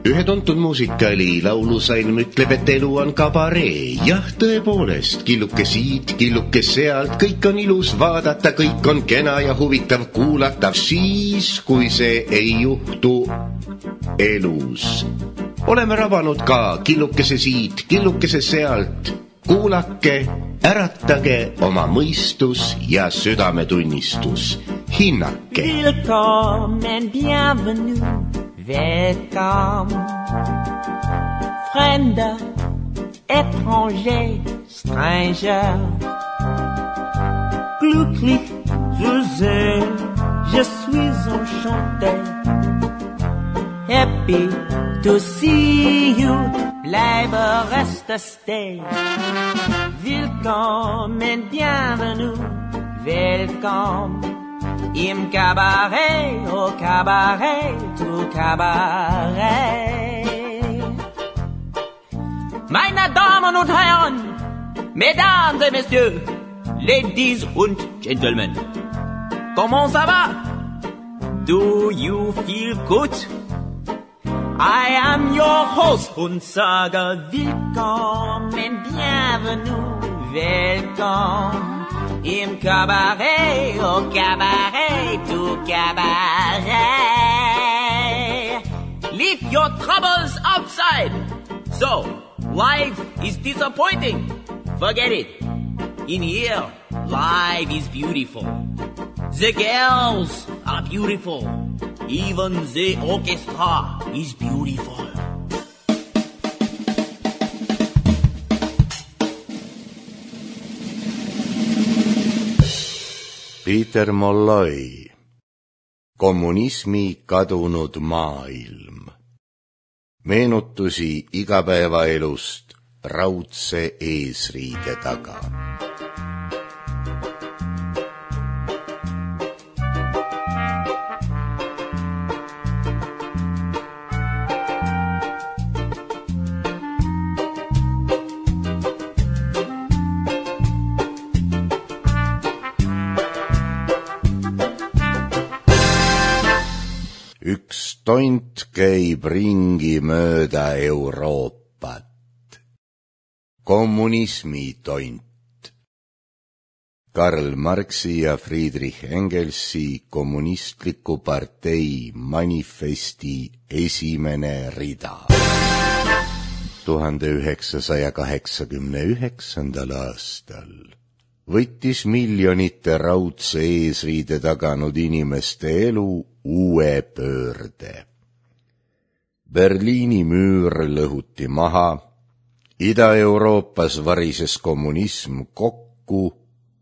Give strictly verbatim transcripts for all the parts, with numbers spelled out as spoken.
Ühe tuntud muusikali laulusalm ütleb, et elu on kabaree. Jah, tõepoolest, killuke siit, killuke sealt, kõik on ilus vaadata, kõik on kena ja huvitav kuulatav siis, kui see ei juhtu elus. Oleme rabanud ka killukese siit, killukese sealt. Kuulake, äratage oma mõistus ja südametunnistus. Hinnake. Willkommen, bienvenue. Welcome, Fremder, étranger, stranger. Glücklich zu sehen, je suis enchanté. Happy to see you, bleibe, reste, stay. Willkommen, bienvenue, welcome. Im Cabaret, au Cabaret, tout Cabaret. Meine Damen und Herren, Mesdames et Messieurs, Ladies und Gentlemen, comment ça va? Do you feel good? I am your host und sage willkommen, bienvenue, welcome. Im Cabaret, au Cabaret, tout Cabaret. Leave your troubles outside. So, life is disappointing. Forget it. In here, life is beautiful. The girls are beautiful. Even the orchestra is beautiful. Peter Molloy, Kommunismi kadunud maailm. Meenutusi igapäevaelust raudse eesriide taga. Üks tont käib ringi mööda Euroopat. Kommunismi tont. Karl Marxi ja Friedrich Engelsi kommunistliku partei manifesti esimene rida. tuhande üheksasaja kaheksakümne üheksandal aastal võttis miljonite raudse eesriide taganud inimeste elu uue pöörde. Berliini müür lõhuti maha, Ida-Euroopas varises kommunism kokku,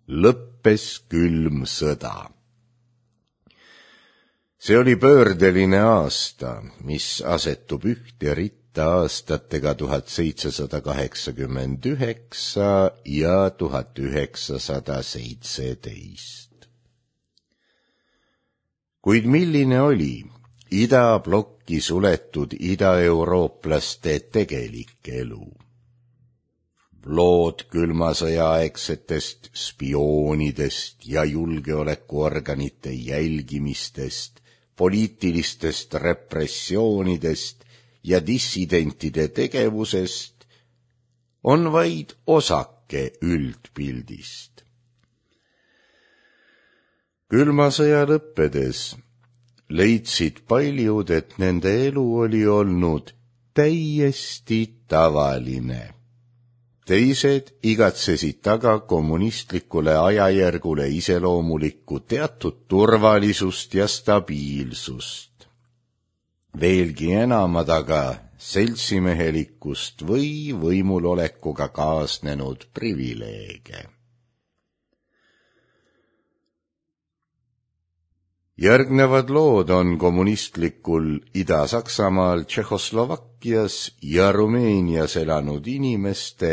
lõppes külm sõda. See oli pöördeline aasta, mis asetub ühte ritta aastatega tuhat seitsesada kaheksakümmend üheksa ja tuhat üheksasada seitseteist. Kuid milline oli idablokki suletud idaeurooplaste tegelik elu? Lood külma sõjaaegsetest spioonidest ja julgeolekuorganite jälgimistest, poliitilistest repressioonidest ja dissidentide tegevusest on vaid osake üldpildist. Külma sõja lõppedes leidsid paljud, et nende elu oli olnud täiesti tavaline. Teised igatsesid taga kommunistlikule ajajärgule iseloomulikku teatud turvalisust ja stabiilsust. Veelgi enamad aga seltsimehelikkust või võimulolekuga kaasnenud privileege. Järgnevad lood on kommunistlikul Ida-Saksamaal, Tšehhoslovakkias ja Rumeenias elanud inimeste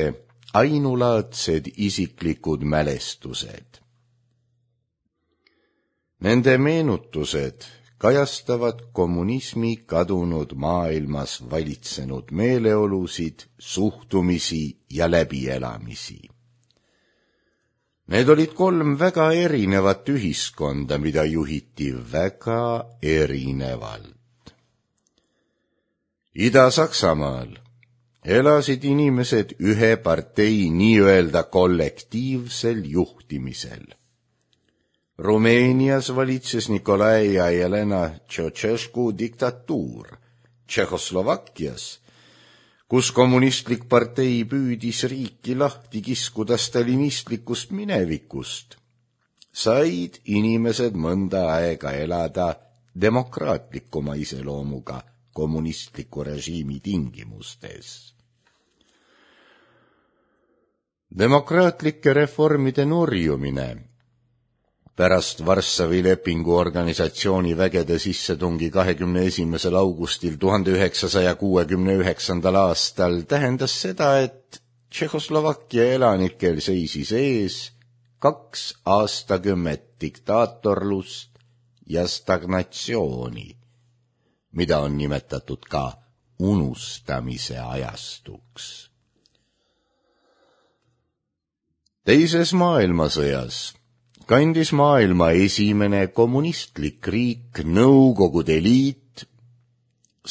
ainulaadsed isiklikud mälestused. Nende meenutused kajastavad kommunismi kadunud maailmas valitsenud meeleolusid, suhtumisi ja läbielamisi. Need olid kolm väga erinevat ühiskonda, mida juhiti väga erinevalt. Ida-Saksamaal elasid inimesed ühe partei nii-öelda kollektiivsel juhtimisel. Rumeenias valitses Nikolai ja Jelena Ceausescu diktatuur. Tšehhoslovakkias, kus kommunistlik partei püüdis riiki lahti kiskuda stalinistlikust minevikust, said inimesed mõnda aega elada demokraatlikuma iseloomuga kommunistliku režiimi tingimustes. Demokraatlike reformide nurjumine pärast Varssavi lepingu organisatsiooni vägede sissetungi kahekümne esimesel augustil tuhande üheksasaja kuuekümne üheksandal aastal tähendas seda, et Tšehhoslovakkia elanikel seisis ees kaks aastakümmet diktaatorlust ja stagnatsiooni, mida on nimetatud ka unustamise ajastuks. Teises maailmasõjas kandis maailma esimene kommunistlik riik Nõukogude Liit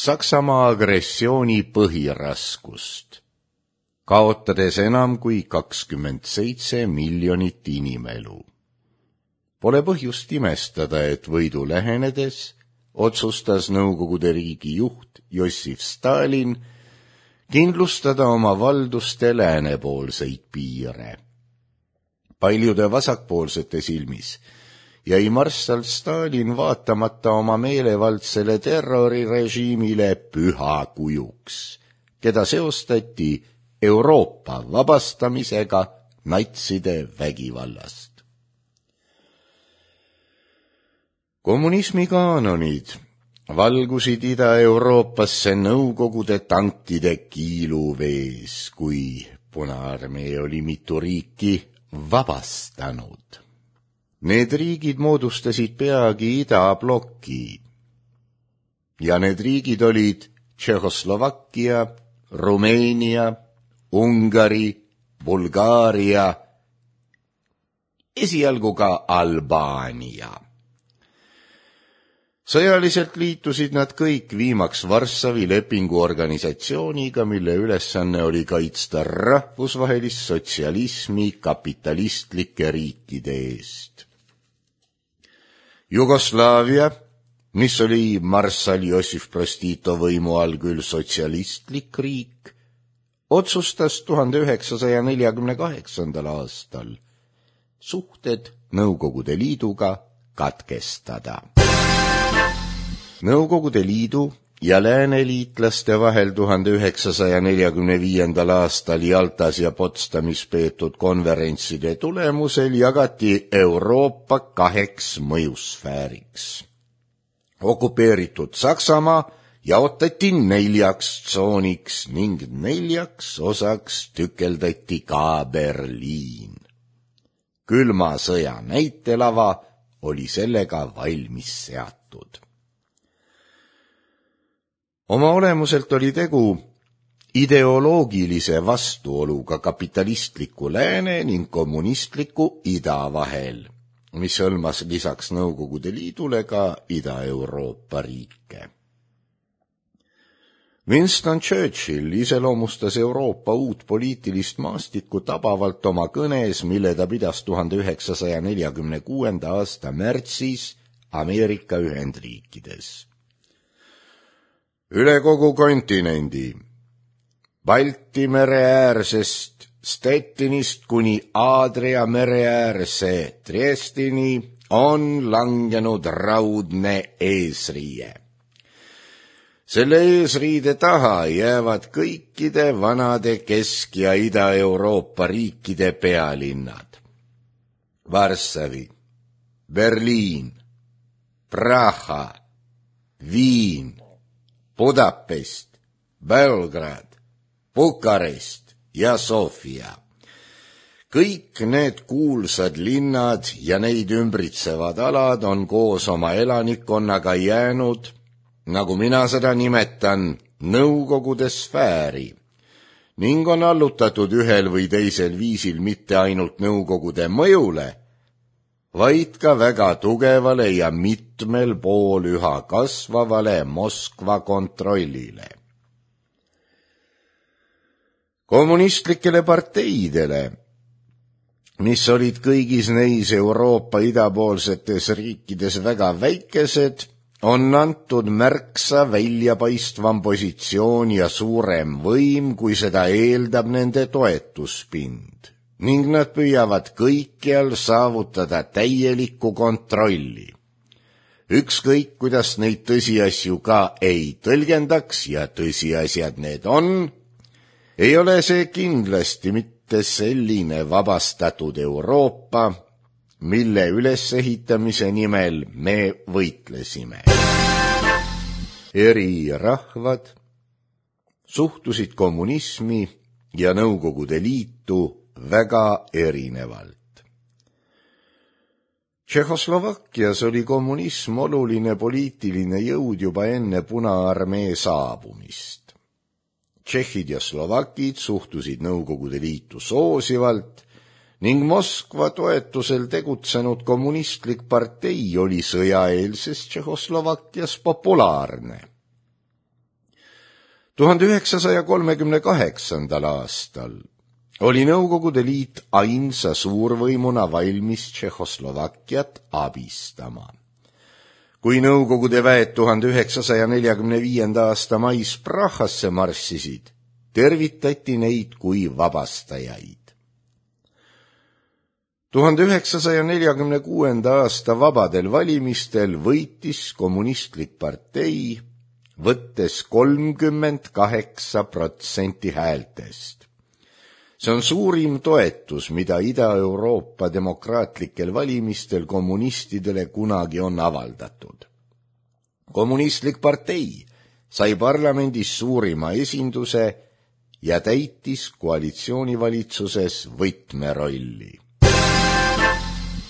Saksamaa agressiooni põhiraskust, kaotades enam kui kakskümmend seitse miljonit inimelu. Pole põhjust imestada, et võidu lähenedes otsustas Nõukogude riigi juht Jossif Stalin kindlustada oma valduste läänepoolseid piire. Paljude vasakpoolsete silmis jäi marssal Stalin vaatamata oma meelevaldsele terrorirežiimile pühakujuks, keda seostati Euroopa vabastamisega natside vägivallast. Kommunismi kaanonid valgusid Ida-Euroopasse Nõukogude tankide kiiluvees, kui Punaarmee oli mitu riiki vabastanud. Need riigid moodustasid peagi idabloki ja need riigid olid Tšehhoslovakkia, Rumeenia, Ungari, Bulgaaria, esialgu ka Albaania. Sõjaliselt liitusid nad kõik viimaks Varssavi lepingu organisatsiooniga, mille ülesanne oli kaitsta rahvusvahelist sotsialismi kapitalistlike riikide eest. Jugoslaavia, mis oli marssal Jossif Broz Tito võimu all küll sotsialistlik riik, otsustas tuhande üheksasaja neljakümne kaheksandal aastal suhted Nõukogude Liiduga katkestada. Nõukogude Liidu ja lääneliitlaste vahel tuhande üheksasaja neljakümne viiendal aastal Jaltas ja Potsdamis peetud konverentside tulemusel jagati Euroopa kaheks mõjusfääriks. Okupeeritud Saksamaa jaotati neljaks tsooniks ning neljaks osaks tükeldati ka Berliin. Külma sõja näitelava oli sellega valmis seatud. Oma olemuselt oli tegu ideoloogilise vastuoluga kapitalistliku lääne ning kommunistliku ida vahel, mis hõlmas lisaks Nõukogude Liidule ka Ida-Euroopa riike. Winston Churchill iseloomustas Euroopa uut poliitilist maastikku tabavalt oma kõnes, mille ta pidas tuhande üheksasaja neljakümne kuuenda aasta märtsis Ameerika Ühendriikides. Üle kogu kontinendi, Balti mere äärsest Stettinist kuni Aadria mere äärse Triestini on langenud raudne eesriie. Selle eesriide taha jäävad kõikide vanade Kesk- ja Ida-Euroopa riikide pealinnad. Varssavi, Berliin, Praha, Viin, Budapest, Belgrad, Bukarest ja Sofia. Kõik need kuulsad linnad ja neid ümbritsevad alad on koos oma elanikkonnaga jäänud, nagu mina seda nimetan, Nõukogude sfääri ning on allutatud ühel või teisel viisil mitte ainult Nõukogude mõjule, vaid ka väga tugevale ja mitmel pool üha kasvavale Moskva kontrollile. Kommunistlikele parteidele, mis olid kõigis neis Euroopa idapoolsetes riikides väga väikesed, on antud märksa väljapaistvam positsioon ja suurem võim, kui seda eeldab nende toetuspind, ning nad püüavad kõikjal saavutada täielikku kontrolli. Ükskõik, kuidas neid tõsiasju ka ei tõlgendaks, ja tõsiasjad need on, ei ole see kindlasti mitte selline vabastatud Euroopa, mille ülesehitamise nimel me võitlesime. Eri rahvad suhtusid kommunismi ja Nõukogude Liitu väga erinevalt. Tšehhoslovakkias oli kommunism oluline poliitiline jõud juba enne Punaarmee saabumist. Tšehhid ja Slovakid suhtusid Nõukogude Liitu soosivalt ning Moskva toetusel tegutsenud kommunistlik partei oli sõjaeelses Tšehhoslovakkias populaarne. tuhande üheksasaja kolmekümne kaheksandal aastal oli Nõukogude Liit ainsa suurvõimuna valmis Tšehhoslovakkiat abistama. Kui Nõukogude väed tuhande üheksasaja neljakümne viienda aasta mais Prahasse marssisid, tervitati neid kui vabastajaid. tuhande üheksasaja neljakümne kuuenda aasta vabadel valimistel võitis kommunistlik partei, võttes kolmkümmend kaheksa protsenti häältest. See on suurim toetus, mida Ida-Euroopa demokraatlikel valimistel kommunistidele kunagi on avaldatud. Kommunistlik partei sai parlamendis suurima esinduse ja täitis koalitsioonivalitsuses võtmerolli.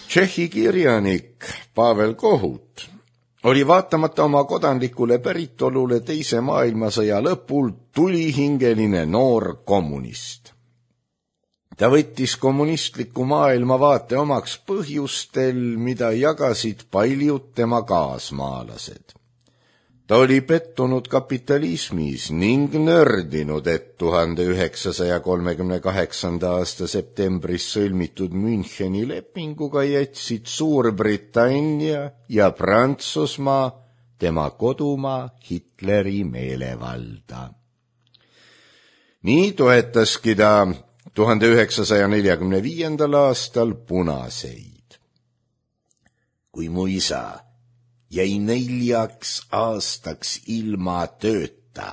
Tšehhi kirjanik Pavel Kohut oli vaatamata oma kodanlikule päritolule teise maailmasõja lõpul tulihingeline noor kommunist. Ta võttis kommunistliku maailmavaate omaks põhjustel, mida jagasid paljud tema kaasmaalased. Ta oli pettunud kapitalismis ning nördinud, et tuhande üheksasaja kolmekümne kaheksanda aasta septembris sõlmitud Müncheni lepinguga jätsid Suurbritannia ja Prantsusmaa tema kodumaa Hitleri meelevalda. Nii toetaski ta tuhande üheksasaja neljakümne viiendal aastal punaseid. Kui mu isa jäi neljaks aastaks ilma tööta,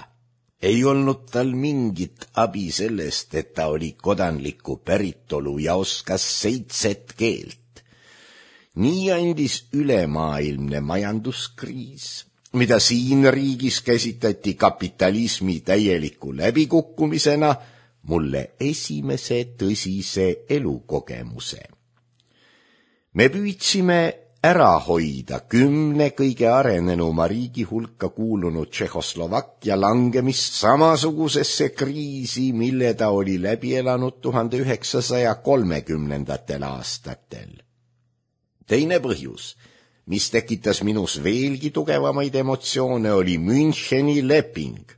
ei olnud tal mingit abi sellest, et ta oli kodanliku päritolu ja oskas seitset keelt. Nii andis ülemaailmne majanduskriis, mida siin riigis käsitleti kapitalismi täieliku läbikukkumisena, mulle esimese tõsise elukogemuse. Me püüdsime ära hoida kümne kõige arenenuma riigi hulka kuulunud Tšehhoslovakkia langemist samasugusesse kriisi, mille ta oli läbi elanud tuhande üheksasaja kolmekümnendatel aastatel. Teine põhjus, mis tekitas minus veelgi tugevamaid emotsioone, oli Müncheni leping.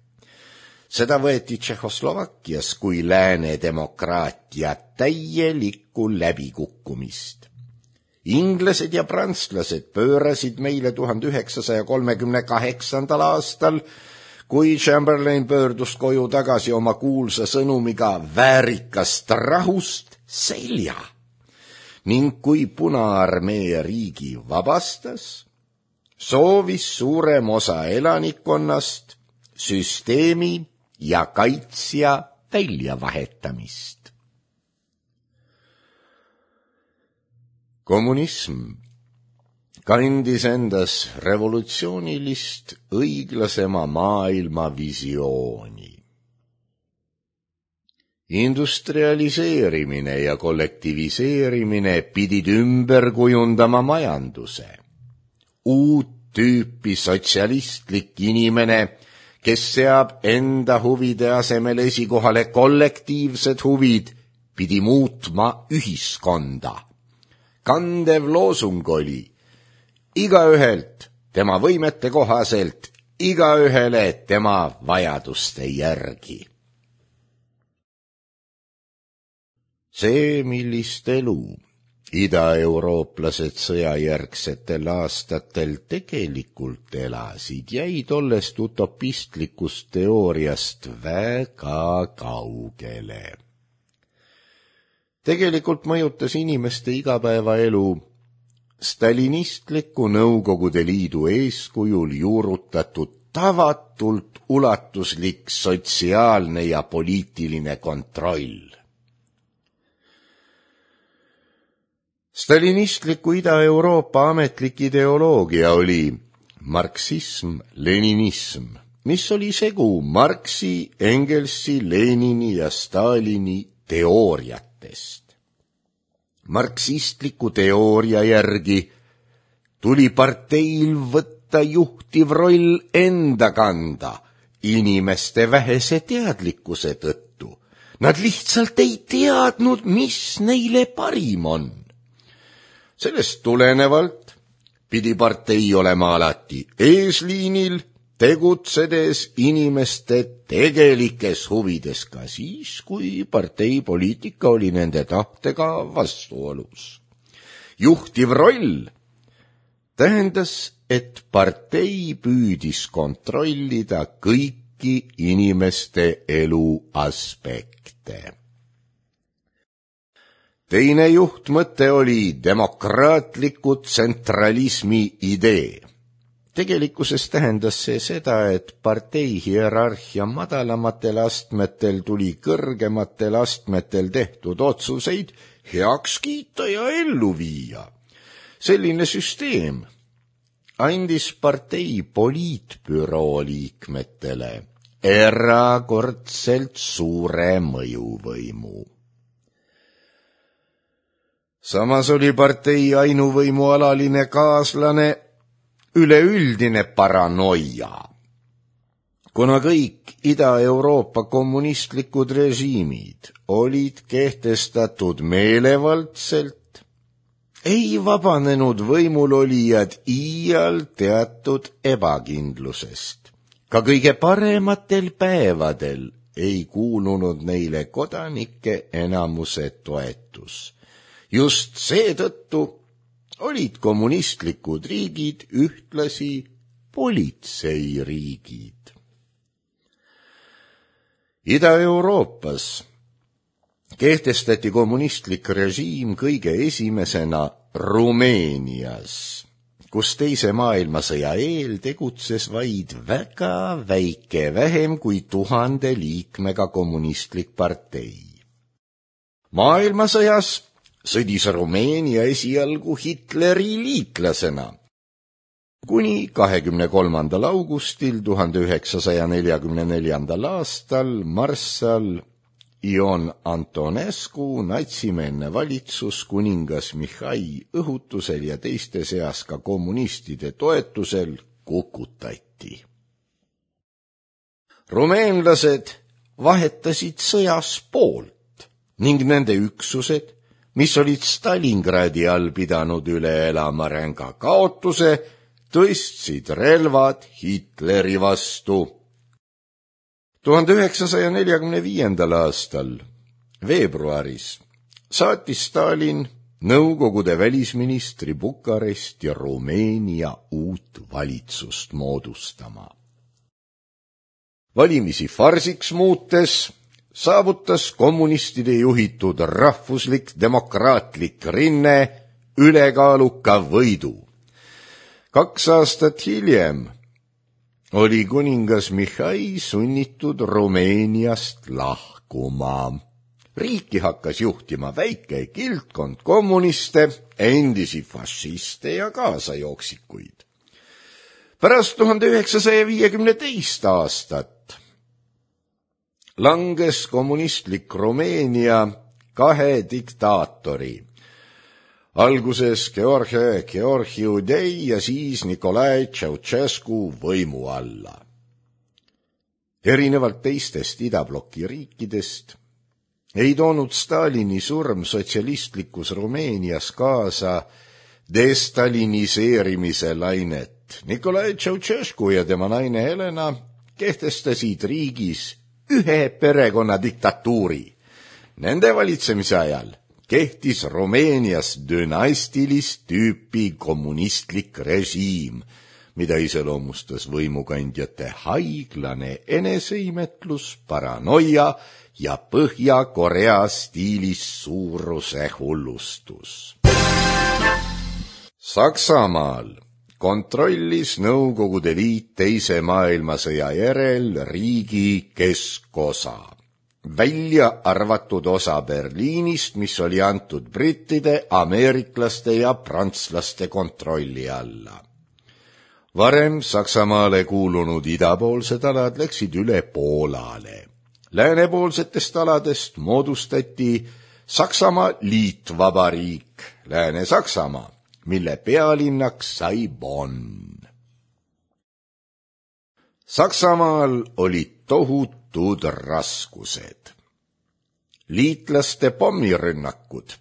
Seda võeti Tšehhoslovakkias kui lääne demokraatia täielikku läbikukkumist. Inglased ja prantslased pöörasid meile tuhande üheksasaja kolmekümne kaheksandal aastal, kui Chamberlain pöördus koju tagasi oma kuulsa sõnumiga väärikast rahust, selja. Ning kui Punaarmee riigi vabastas, soovis suurem osa elanikkonnast süsteemi ja kaitsja väljavahetamist. Kommunism kandis endas revolutsioonilist õiglasema maailma visiooni. Industrialiseerimine ja kollektiviseerimine pidid ümber kujundama majanduse. Uut tüüpi sotsialistlik inimene, kes seab enda huvide asemel esikohale kollektiivsed huvid, pidi muutma ühiskonda. Kandev loosung oli igaühelt tema võimete kohaselt, igaühele tema vajaduste järgi. See, millist elu idaeurooplased sõjajärgsetel aastatel tegelikult elasid, jäi tollest utopistlikust teooriast väga kaugele. Tegelikult mõjutas inimeste igapäevaelu stalinistliku Nõukogude Liidu eeskujul juurutatud tavatult ulatuslik sotsiaalne ja poliitiline kontroll. Stalinistliku Ida-Euroopa ametlik ideoloogia oli marksism-leninism, mis oli segu Marxi, Engelsi, Lenini ja Stalini teooriatest. Marksistliku teooria järgi tuli parteil võtta juhtiv roll enda kanda inimeste vähese teadlikkuse tõttu. Nad lihtsalt ei teadnud, mis neile parim on. Sellest tulenevalt pidi partei olema alati eesliinil, tegutsedes inimeste tegelikes huvides ka siis, kui partei poliitika oli nende tahtega vastuolus. Juhtiv roll tähendas, et partei püüdis kontrollida kõiki inimeste elu aspekte. Teine juhtmõte oli demokraatliku tsentralismi idee. Tegelikkuses tähendas see seda, et partei hierarhia madalamatel astmetel tuli kõrgematel astmetel tehtud otsuseid heaks kiita ja ellu viia. Selline süsteem andis partei poliitbüroo liikmetele erakordselt suure mõjuvõimu. Samas oli partei ainuvõimu alaline kaaslane üleüldine paranoia. Kuna kõik Ida-Euroopa kommunistlikud režiimid olid kehtestatud meelevaldselt, ei vabanenud võimulolijad iial teatud ebakindlusest. Ka kõige parematel päevadel ei kuulunud neile kodanike enamuse toetus. Just seetõttu olid kommunistlikud riigid ühtlasi politseiriigid. Ida-Euroopas kehtestati kommunistlik režiim kõige esimesena Rumeenias, kus teise maailmasõja eel tegutses vaid väga väike, vähem kui tuhande liikmega kommunistlik partei. Maailmasõjas sõdis Rumeenia esialgu Hitleri liitlasena, kuni kahekümne kolmandal augustil tuhande üheksasaja neljakümne neljandal aastal marssal Ion Antonescu natsimeelne valitsus kuningas Mihhail õhutusel ja teiste seas ka kommunistide toetusel kukutati. Rumeenlased vahetasid sõjas poolt ning nende üksused, mis olid Stalingradi all pidanud üle elama ränga kaotuse, tõstsid relvad Hitleri vastu. tuhande üheksasaja neljakümne viiendal aastal veebruaris saatis Stalin Nõukogude välisministri Bukaresti Rumeenia uut valitsust moodustama. Valimisi farsiks muutes saavutas kommunistide juhitud rahvuslik demokraatlik rinne ülekaaluka võidu. Kaks aastat hiljem oli kuningas Mihhail sunnitud Rumeeniast lahkuma. Riiki hakkas juhtima väike kildkond kommuniste, endisi fašiste ja kaasajooksikuid. Pärast tuhande üheksasaja viiekümne teist aastat langes kommunistlik Rumeenia kahe diktaatori, alguses George Georgiudei ja siis Nicolae Ceausescu võimu alla. Erinevalt teistest idabloki riikidest ei toonud Stalini surm sotsialistlikus Rumeenias kaasa destaliniseerimise lainet. Nicolae Ceausescu ja tema naine Helena kehtestasid riigis ühe perekonna diktatuuri Nende valitsemise ajal kehtis Rumeenias dünastilist tüüpi kommunistlik režiim, mida iseloomustas võimukandjate haiglane eneseimetlus, paranoia ja Põhja-Korea stiilis suuruse hullustus. Saksamaal kontrollis Nõukogude Liit teise maailmasõja järel riigi keskosa, välja arvatud osa Berliinist, mis oli antud brittide, ameeriklaste ja prantslaste kontrolli alla. Varem Saksamaale kuulunud idapoolsed alad läksid üle Poolale. Läänepoolsetest aladest moodustati Saksamaa liitvabariik, Lääne-Saksamaa, mille pealinnaks sai Bonn. Saksamaal olid tohutud raskused. Liitlaste pommirünnakud,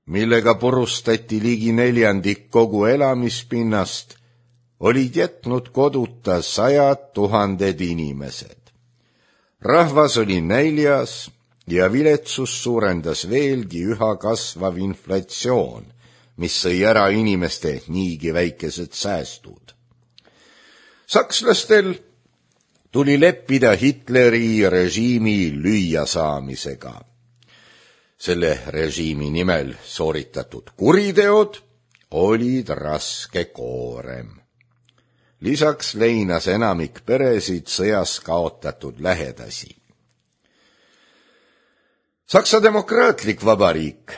millega purustati ligi neljandik kogu elamispinnast, olid jätnud koduta sajad tuhanded inimesed. Rahvas oli näljas ja viletsus suurendas veelgi üha kasvav inflatsioon, mis sõi ära inimeste niigi väikesed säästud. Sakslastel tuli leppida Hitleri režiimi lüüasaamisega. Selle režiimi nimel sooritatud kuriteod olid raske koorem. Lisaks leinas enamik peresid sõjas kaotatud lähedasi. Saksa demokraatlik vabariik,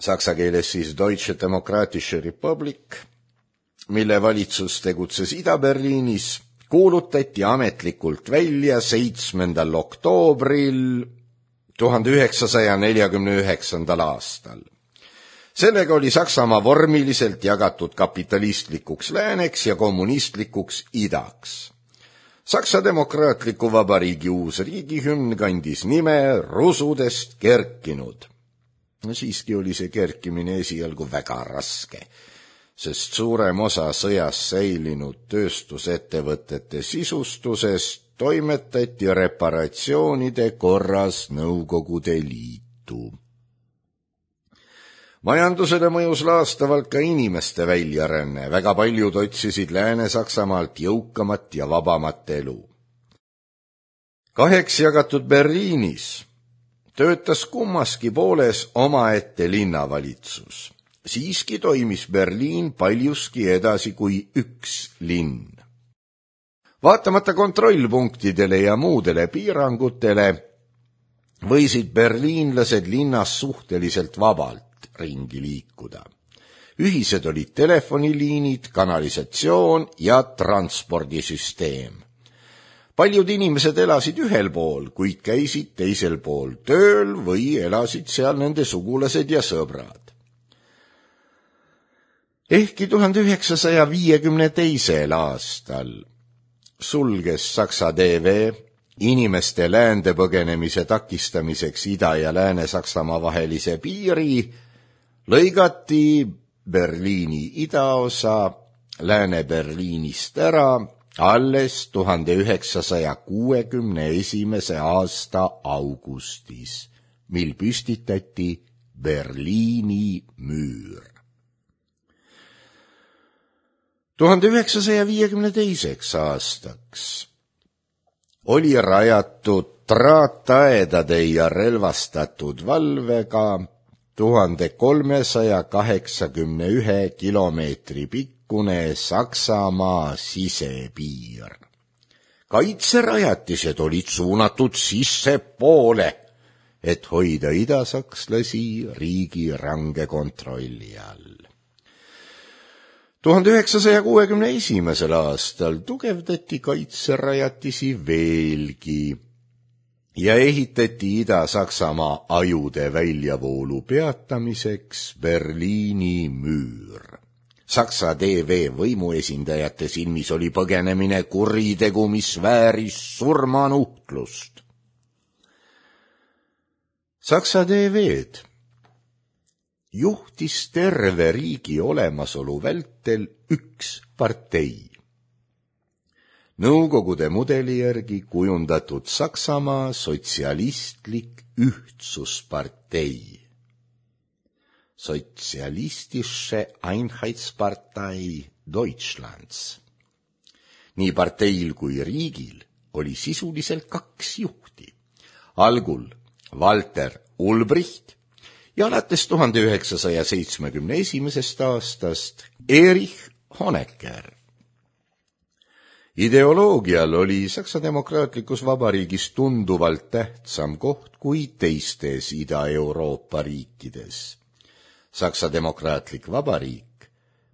saksa keeles siis Deutsche Demokratische Republik, mille valitsus tegutses Ida-Berliinis, kuulutati ametlikult välja seitsmendal oktoobril tuhande üheksasaja neljakümne üheksandal aastal. Sellega oli Saksamaa vormiliselt jagatud kapitalistlikuks lääneks ja kommunistlikuks idaks. Saksa demokraatliku vabariigi uus riigihümn kandis nime Rusudest kerkinud. Siiski oli see kerkimine esialgu väga raske, sest suurem osa sõjas säilinud tööstusettevõtete sisustusest toimetati reparatsioonide korras Nõukogude Liitu. Majandusele mõjus laastavalt ka inimeste väljaränne, väga paljud otsisid Lääne-Saksamaalt jõukamat ja vabamat elu. Kaheks jagatud Berliinis töötas kummaski pooles omaette linnavalitsus. Siiski toimis Berliin paljuski edasi kui üks linn. Vaatamata kontrollpunktidele ja muudele piirangutele võisid berliinlased linnas suhteliselt vabalt ringi liikuda. Ühised olid telefoniliinid, kanalisatsioon ja transpordisüsteem. Paljud inimesed elasid ühel pool, kuid käisid teisel pool tööl või elasid seal nende sugulased ja sõbrad. Ehkki tuhande üheksasaja viiekümne teisel aastal sulges Saksa T V inimeste läände põgenemise takistamiseks Ida- ja Lääne-Saksamaa vahelise piiri, lõigati Berliini idaosa Lääne-Berliinist ära alles tuhande üheksasaja kuuekümne esimese aasta augustis, mil püstitati Berliini müür. tuhande üheksasaja viiekümne teiseks aastaks oli rajatud traataedade ja relvastatud valvega tuhande kolmesaja kaheksakümne ühe kilomeetri pikkune Saksamaa sisepiir. Kaitserajatised olid suunatud sissepoole, et hoida idasakslasi riigi range kontrolli all. tuhande üheksasaja kuuekümne esimesel aastal tugevdati kaitserajatisi veelgi ja ehitati Ida-Saksamaa ajude väljavoolu peatamiseks Berliini müür. Saksa T V võimuesindajate silmis oli põgenemine kuritegu, mis vääris surmanuhtlust. Saksa T V-d juhtis terve riigi olemasolu vältel üks partei. Nõukogude mudeli järgi kujundatud Saksamaa sotsialistlik Ühtsuspartei, Sozialistische Einheitspartei Deutschlands. Nii parteil kui riigil oli sisuliselt kaks juhti. Algul Walter Ulbricht ja alates tuhande üheksasaja seitsmekümne esimesest aastast Erich Honecker. Ideoloogial oli Saksa Demokraatlikus Vabariigis tunduvalt tähtsam koht kui teistes Ida-Euroopa riikides. Saksa Demokraatlik Vabariik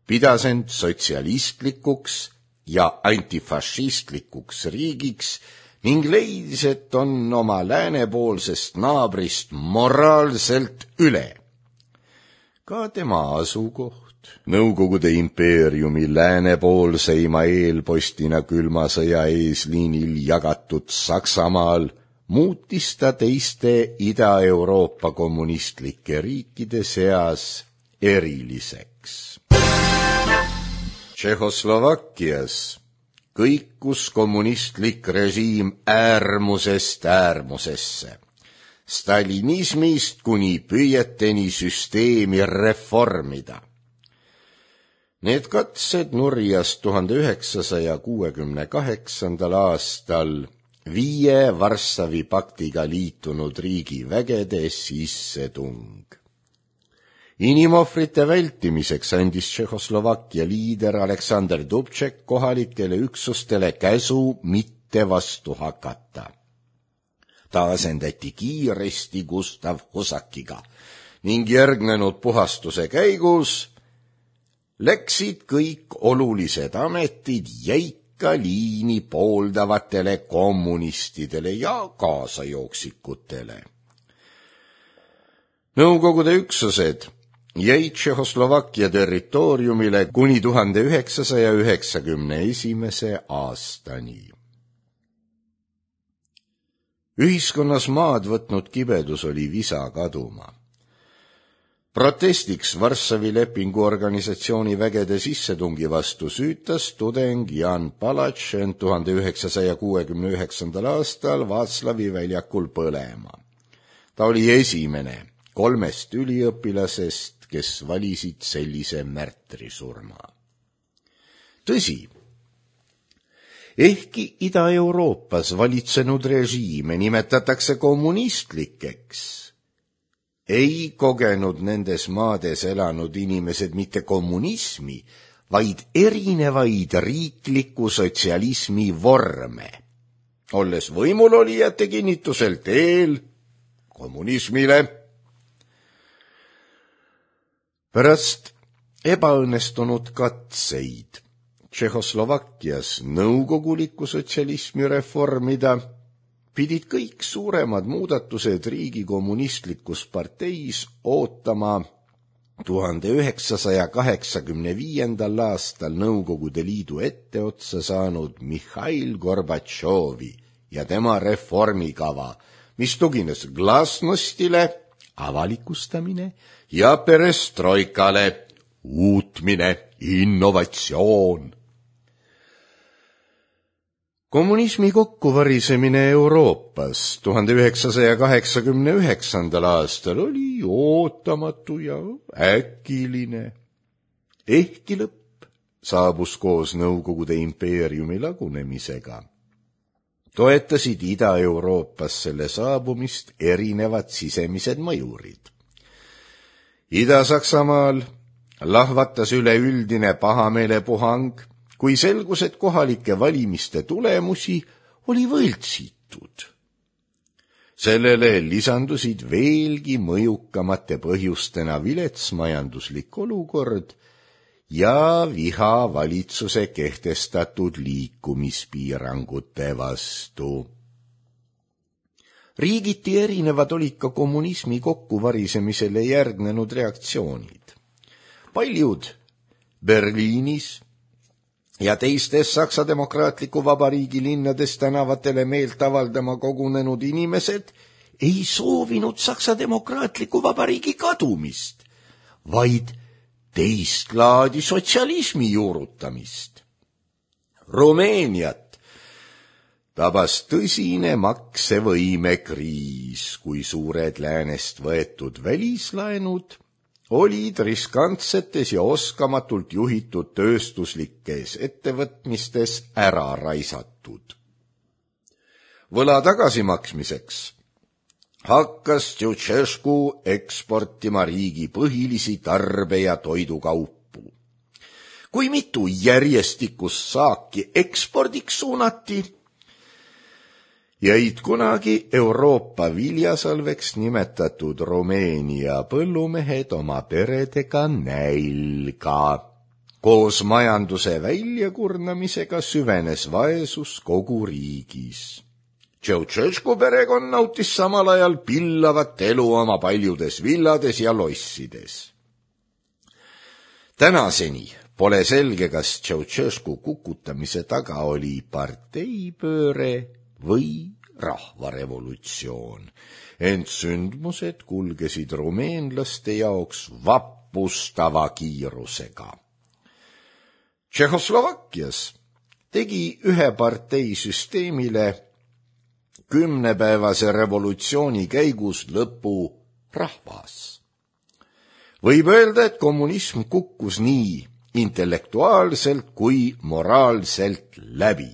pidas end sotsialistlikuks ja antifašistlikuks riigiks ning leidis, et on oma läänepoolsest naabrist moraalselt üle. Ka tema asukoht, Nõukogude impeeriumi läänepoolseima eelpostina külma sõja eesliinil jagatud Saksamaal, muutis ta teiste Ida-Euroopa kommunistlike riikide seas eriliseks. Tšehhoslovakkias kõikus kommunistlik režiim äärmusest äärmusesse, stalinismist kuni püüeteni süsteemi reformida. Need katsed nurjas tuhande üheksasaja kuuekümne kaheksandal aastal viie Varssavi paktiga liitunud riigi vägede sissetung. Inimohvrite vältimiseks andis Tšehhoslovakkia liider Aleksander Dubček kohalikele üksustele käsu mitte vastu hakata. Ta asendati kiiresti Gustav Husakiga ning järgnenud puhastuse käigus läksid kõik olulised ametid jäika liini pooldavatele kommunistidele ja kaasajooksikutele. Nõukogude üksused jäid Tšehhoslovakkia territooriumile kuni tuhande üheksasaja üheksakümne esimese aastani. Ühiskonnas maad võtnud kibedus oli visa kaduma. Protestiks Varssavi lepingu organisatsiooni vägede sissetungi vastu süütas tudeng Jan Palach end tuhande üheksasaja kuuekümne üheksandal aastal Vaatslavi väljakul põlema. Ta oli esimene kolmest üliõpilasest, kes valisid sellise märtrisurma. Tõsi, ehkki Ida-Euroopas valitsenud režiime nimetatakse kommunistlikeks, ei kogenud nendes maades elanud inimesed mitte kommunismi, vaid erinevaid riikliku sotsialismi vorme, olles võimulolijate kinnitusel teel kommunismile. Pärast ebaõnnestunud katseid Tšehhoslovakkias nõukoguliku sotsialismi reformida pidid kõik suuremad muudatused riigi kommunistlikus parteis ootama tuhande üheksasaja kaheksakümne viiendal aastal Nõukogude Liidu etteotsa saanud Mihhail Gorbatšovi ja tema reformikava, mis tugines glasnostile, avalikustamine ja perestroikale, uutmine, innovatsioon. Kommunismi kokkuvarisemine Euroopas tuhande üheksasaja kaheksakümne üheksandal aastal oli ootamatu ja äkiline. Ehkki lõpp saabus koos Nõukogude impeeriumi lagunemisega, toetasid Ida-Euroopas selle saabumist erinevad sisemised mõjurid. Ida-Saksamaal lahvatas üleüldine pahameelepuhang, kui selgus, et kohalike valimiste tulemusi oli võltsitud. Sellele lisandusid veelgi mõjukamate põhjustena vilets majanduslik olukord ja viha valitsuse kehtestatud liikumispiirangute vastu. Riigiti erinevad olid ka kommunismi kokkuvarisemisele järgnenud reaktsioonid. Paljud Berliinis ja teistes Saksa Demokraatliku Vabariigi linnades tänavatele meelt avaldama kogunenud inimesed ei soovinud Saksa Demokraatliku Vabariigi kadumist, vaid teist laadi sotsialismi juurutamist. Rumeeniat tabas tõsine maksevõimekriis, kui suured läänest võetud välislaenud olid riskantsetes ja oskamatult juhitud tööstuslikes ettevõtmistes ära raisatud. Võla tagasimaksmiseks hakkas Ceausescu eksportima riigi põhilisi tarbe- ja toidukaupu. Kui mitu järjestikust saaki ekspordiks suunati, jäid kunagi Euroopa viljasalveks nimetatud Rumeenia põllumehed oma peredega nälga. Koos majanduse väljakurnamisega süvenes vaesus kogu riigis. Ceausescu perekond nautis samal ajal pillavat elu oma paljudes villades ja lossides. Tänaseni pole selge, kas Ceausescu kukutamise taga oli parteipööre või rahvarevolutsioon, ent sündmused kulgesid rumeenlaste jaoks vappustava kiirusega. Tšehhoslovakkias tegi ühe parteisüsteemile kümnepäevase revolutsiooni käigus lõpu rahvas. Võib öelda, et kommunism kukkus nii intellektuaalselt kui moraalselt läbi.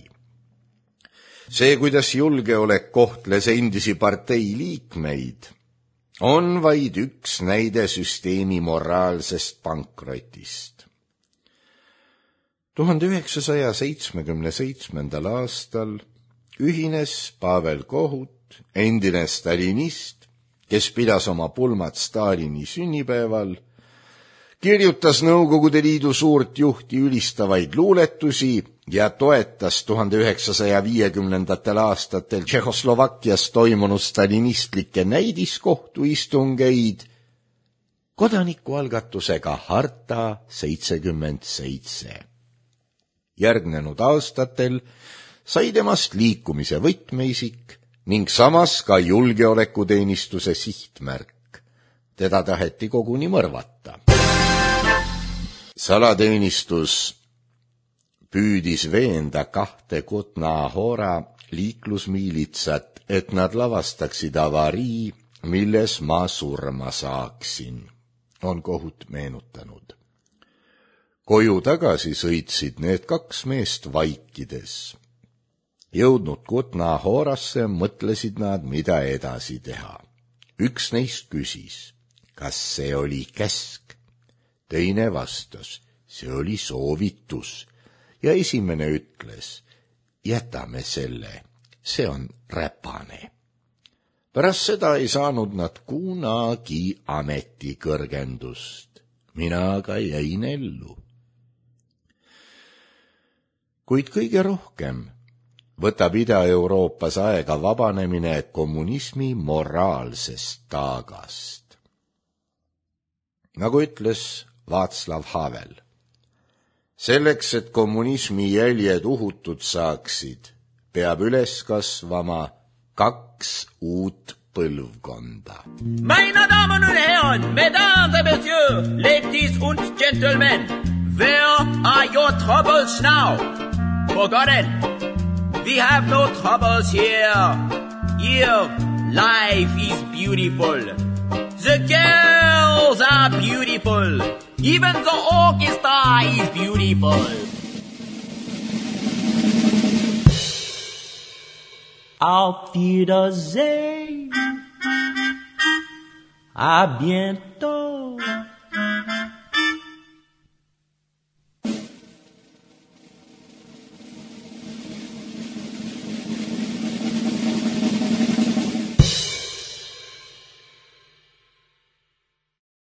See, kuidas julgeolek kohtles endisi partei liikmeid, on vaid üks näide süsteemi moraalsest pankrotist. tuhande üheksasaja seitsmekümne seitsmendal aastal ühines Pavel Kohut, endine stalinist, kes pidas oma pulmat Stalini sünnipäeval, kirjutas Nõukogude Liidu suurt juhti ülistavaid luuletusi ja toetas tuhande üheksasaja viiekümnendatel aastatel Tšehhoslovakkias toimunud stalinistlikke näidiskohtuistungeid kodanikualgatusega Harta seitsekümmend seitse. Järgnenud aastatel sai temast liikumise võtmeisik ning samas ka julgeolekuteenistuse sihtmärk. Teda taheti koguni mõrvata. Salateenistus püüdis veenda kahte Kutna Hora liiklusmiilitsat, et nad lavastaksid avarii, milles ma surma saaksin, on Kohut meenutanud. Koju tagasi sõitsid need kaks meest vaikides. Jõudnud Kutna Horasse mõtlesid nad, mida edasi teha. Üks neist küsis, kas see oli käsk. Teine vastas, see oli soovitus. Ja esimene ütles, jätame selle, see on räpane. Pärast seda ei saanud nad kunagi ametikõrgendust. Mina aga jäin ellu. Kuid kõige rohkem võtab Ida-Euroopas aega vabanemine kommunismi moraalsest taagast. Nagu ütles Václav Havel, selleks, et kommunismi jäljed uhutud saaksid, peab üles kasvama kaks uut põlvkonda. Meine Damen und Herren, Mesdames et Messieurs, ladies und gentlemen, where are your troubles now? Forgotten. We have no troubles here. Here, life is beautiful. The girls are beautiful. Even the orchestra is beautiful. Auf Wiedersehen. À bientôt.